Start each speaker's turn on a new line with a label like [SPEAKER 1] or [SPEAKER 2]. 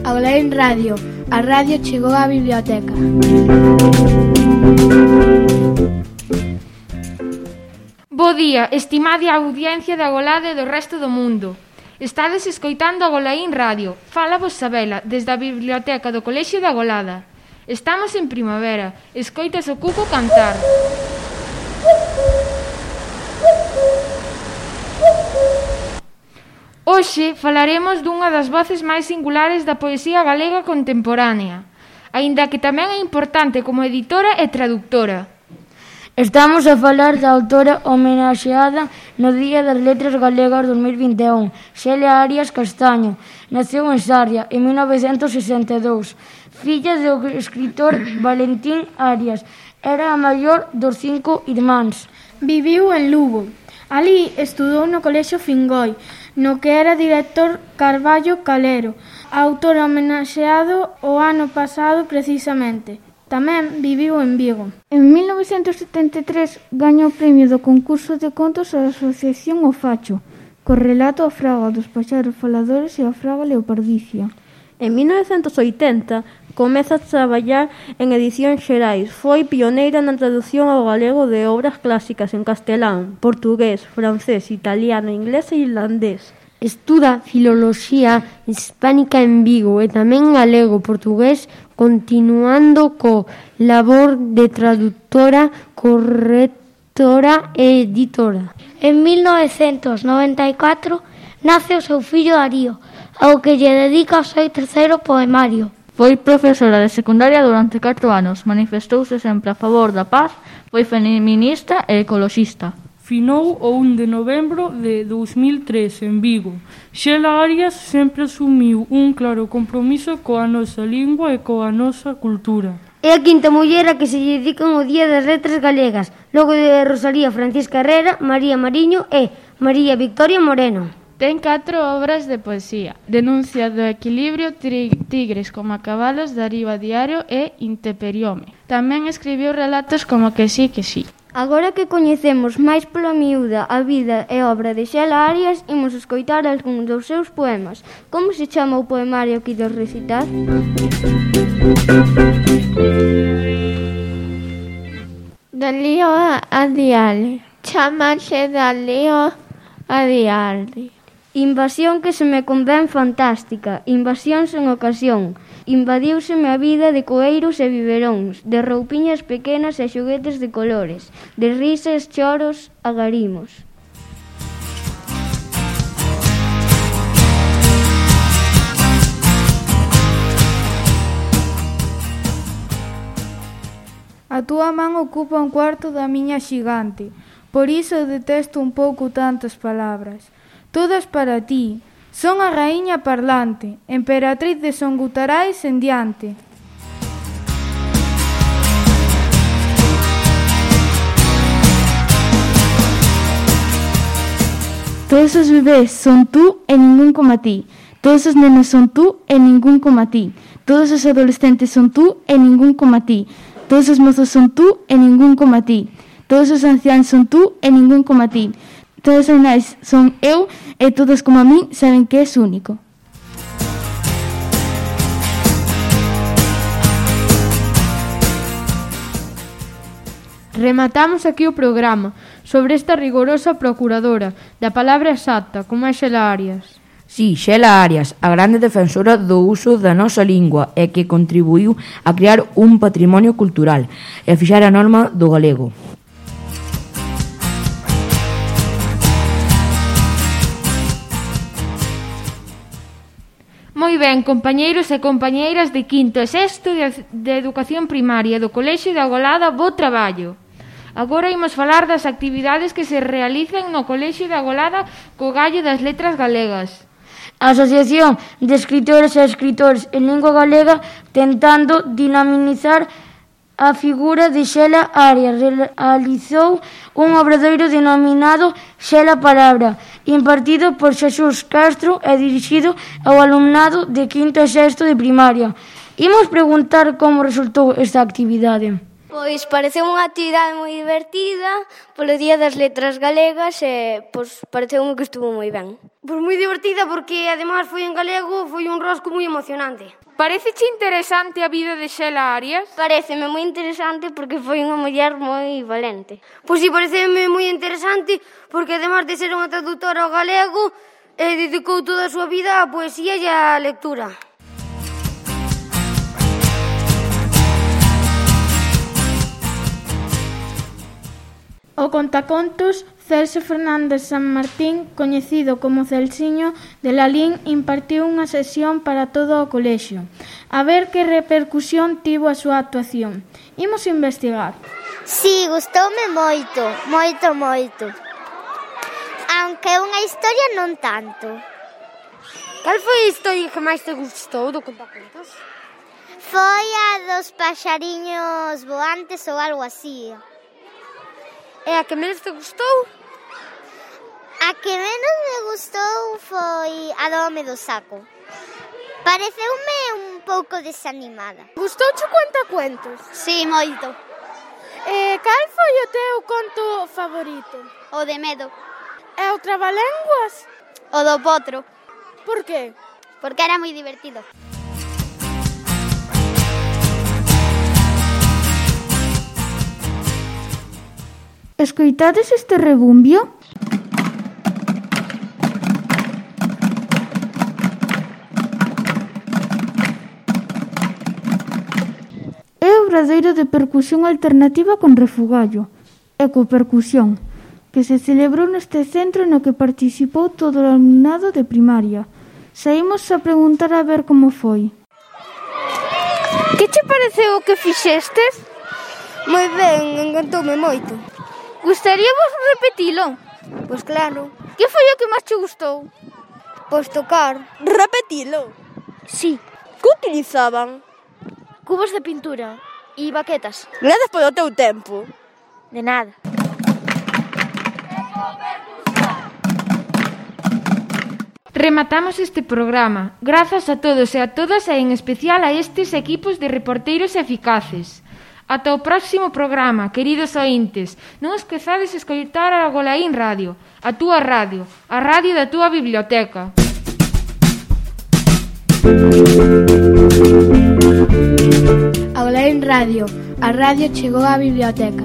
[SPEAKER 1] Agolaín Radio. A radio chegou á biblioteca.
[SPEAKER 2] Bo día, estimada audiencia de Agolada e do resto do mundo. Estades escoitando Agolaín Radio. Fala vos Sabela, desde a biblioteca do Colexio de Agolada. Estamos en primavera. Escoitas o cuco cantar. Hoxe falaremos dunha das voces máis singulares da poesía galega contemporánea, aínda que tamén é importante como editora e traductora.
[SPEAKER 3] Estamos a falar da autora homenaxeada no Día das Letras Galegas 2021, Xela Arias Castaño. Naceu en Sarria en 1962, filla do escritor Valentín Arias. Era a maior dos 5 irmáns.
[SPEAKER 1] Viviu en Lugo. Alí estudou no Colexio Fingoi, no que era director Carballo Calero, autor homenaxeado o ano pasado precisamente. Tamén viviu en Vigo. En 1973 gañou o premio do concurso de contos da Asociación O Facho, co relato A Fraga dos paxaros faladores e A Fraga leopardicia.
[SPEAKER 4] En 1980 comeza a traballar en Edicións Xerais. Foi pioneira na traducción ao galego de obras clásicas en castelán, portugués, francés, italiano, inglés e irlandés.
[SPEAKER 5] Estuda filoloxía hispánica en Vigo e tamén galego, portugués, continuando co labor de traductora, correctora e editora.
[SPEAKER 6] En 1994 nace o seu fillo Darío, ao que lle dedica o seu terceiro poemario.
[SPEAKER 7] Foi profesora de secundaria durante 4 anos, manifestouse sempre a favor da paz, foi feminista e ecoloxista.
[SPEAKER 8] Finou o 1 de novembro de 2003 en Vigo. Xela Arias sempre asumiu un claro compromiso coa nosa lingua e coa nosa cultura.
[SPEAKER 3] É a quinta muller a que se lle dedican o Día das Letras Galegas, logo de Rosalía Francisca Herrera, María Mariño e María Victoria Moreno.
[SPEAKER 9] Ten 4 obras de poesía: Denuncia do equilibrio, Tigres como cabalos, Darío a diario e Intemperiome. Tamén escribiu relatos como Que sí, que sí.
[SPEAKER 3] Agora que coñecemos máis pola miúda a vida e obra de Xela Arias, imos escoitar algúns dos seus poemas. Como se chama o poemario que ides recitar?
[SPEAKER 10] Dalío a diale, chamaxe Dalío a diale.
[SPEAKER 3] Invasión que se me convén fantástica, invasión sen ocasión. Invadiuseme a vida de coeiros e biberóns, de roupiñas pequenas e xoguetes de colores, de risas, choros, agarimos.
[SPEAKER 11] A túa man ocupa un cuarto da miña xigante, por iso detesto un pouco tantas palabras. Todas para ti. Son a raíña parlante, emperatriz de Son Gutarais en diante.
[SPEAKER 12] Todos os bebés son tú e ningún como a ti. Todos os nenos son tú e ningún como a ti. Todos os adolescentes son tú e ningún como a ti. Todos os mozos son tú e ningún como a ti. Todos os anciáns son tú e ningún como a ti. Todos os nais son eu e todos como a min saben que és único.
[SPEAKER 2] Rematamos aquí o programa sobre esta rigorosa procuradora da palabra exacta, como é Xela Arias.
[SPEAKER 13] Sí, Xela Arias, a grande defensora do uso da nosa lingua e que contribuiu a crear un patrimonio cultural e a fixar a norma do galego.
[SPEAKER 2] Moi ben, compañeiros e compañeiras de quinto e sexto de educación primaria do Colexio de Agolada, bo traballo. Agora imos falar das actividades que se realizan no Colexio de Agolada co gallo das letras galegas.
[SPEAKER 3] A Asociación de Escritores e Escritores en Lingua Galega, tentando dinamizar a figura de Xela Arias, realizou un obradoiro denominado Xela Palabra, impartido por Xesús Castro e dirixido ao alumnado de quinto e sexto de primaria. Imos preguntar como resultou esta actividade.
[SPEAKER 14] Pois pareceu unha actividade moi divertida polo Día das Letras Galegas e pareceume que estuvo moi ben.
[SPEAKER 15] Pois moi divertida porque ademais foi en galego, foi un rosco moi emocionante.
[SPEAKER 2] Paréceche interesante a vida de Xela Arias?
[SPEAKER 14] Pareceme moi interesante porque foi unha muller moi valente.
[SPEAKER 15] Pois si, pareceme moi interesante porque ademais de ser unha traductora ao galego, dedicou toda a súa vida á poesía e á lectura.
[SPEAKER 1] O contacontos Celso Fernández San Martín, coñecido como Celsiño de Lalín, impartiu unha sesión para todo o colexio. A ver que repercusión tivo a súa actuación. Imos investigar.
[SPEAKER 16] Si, gustoume moito, moito. Aunque unha historia non tanto.
[SPEAKER 15] Cal foi a historia que máis te gustou do contacontos?
[SPEAKER 16] Foi a dos paxariños voantes ou algo así.
[SPEAKER 15] E a que menos te gustou?
[SPEAKER 16] A que menos me gustou foi a do home do saco. Pareceume un pouco desanimada.
[SPEAKER 15] Gustouche contacuentos?
[SPEAKER 16] Si, moito.
[SPEAKER 1] Cal foi o teu conto favorito?
[SPEAKER 16] O de medo.
[SPEAKER 1] E o trabalenguas?
[SPEAKER 16] O do potro.
[SPEAKER 1] Por que?
[SPEAKER 16] Porque era moi divertido.
[SPEAKER 12] Escoitades este rebumbio? É o obradoiro de percusión alternativa con refugallo, ecopercusión, que se celebrou neste centro no que participou todo o alumnado de primaria. Saímos a preguntar a ver como foi.
[SPEAKER 15] Que che pareceu o que fixestes? Moi ben, encantoume moito.
[SPEAKER 16] Gustaríavos repetilo?
[SPEAKER 15] Pois claro.
[SPEAKER 16] Que foi o que máis che gustou?
[SPEAKER 15] Pois tocar. Repetilo?
[SPEAKER 16] Si.
[SPEAKER 15] Que utilizaban?
[SPEAKER 16] Cubos de pintura e baquetas.
[SPEAKER 15] Grazas polo teu tempo.
[SPEAKER 16] De nada.
[SPEAKER 2] Rematamos este programa. Grazas a todos e a todas e en especial a estes equipos de reporteiros eficaces. Ata o próximo programa, queridos ointes. Non esquezades escoitar a Golaín Radio, a túa radio, a radio da túa biblioteca.
[SPEAKER 17] A Golaín Radio, a radio chegou á biblioteca.